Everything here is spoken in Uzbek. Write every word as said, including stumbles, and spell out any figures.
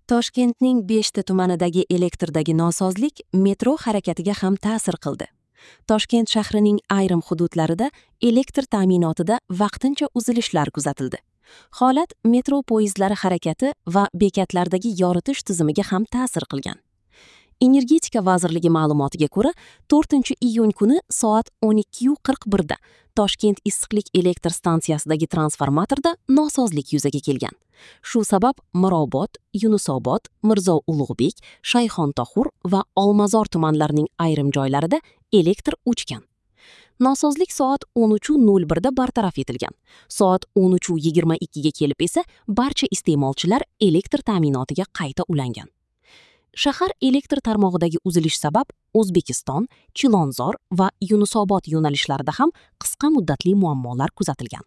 Toshkentning beshta tumanidagi elektrdagi nosozlik metro harakatiga ham ta'sir qildi. Toshkent shahrining ayrim hududlarida elektr ta'minotida vaqtincha uzilishlar kuzatildi. Holat metro poyezdlari harakati va bekatlardagi yoritish tizimiga ham ta'sir qilgan. Energetika vazirligi ma'lumotiga ko'ra, to'rtinchi iyun kuni soat o'n ikki qirq birda Toshkent issiqlik elektr stansiyasidagi transformatorda nosozlik yuzaga kelgan. Shu sabab Mirobod, Yunusobod, Mirzo Ulug'bek, Shayxontohur va Olmazor tumanlarining ayrim joylarida elektr o'chgan. Nosozlik soat o'n uch nol birda bartaraf etilgan. Soat o'n uch yigirma ikkiga kelib esa barcha iste'molchilar elektr ta'minotiga qayta ulangan. Shahar elektr tarmog'idagi uzilish sabab O'zbekiston, Chilonzor va Yunusobod yo'nalishlarida ham qisqa muddatli muammolar kuzatilgan.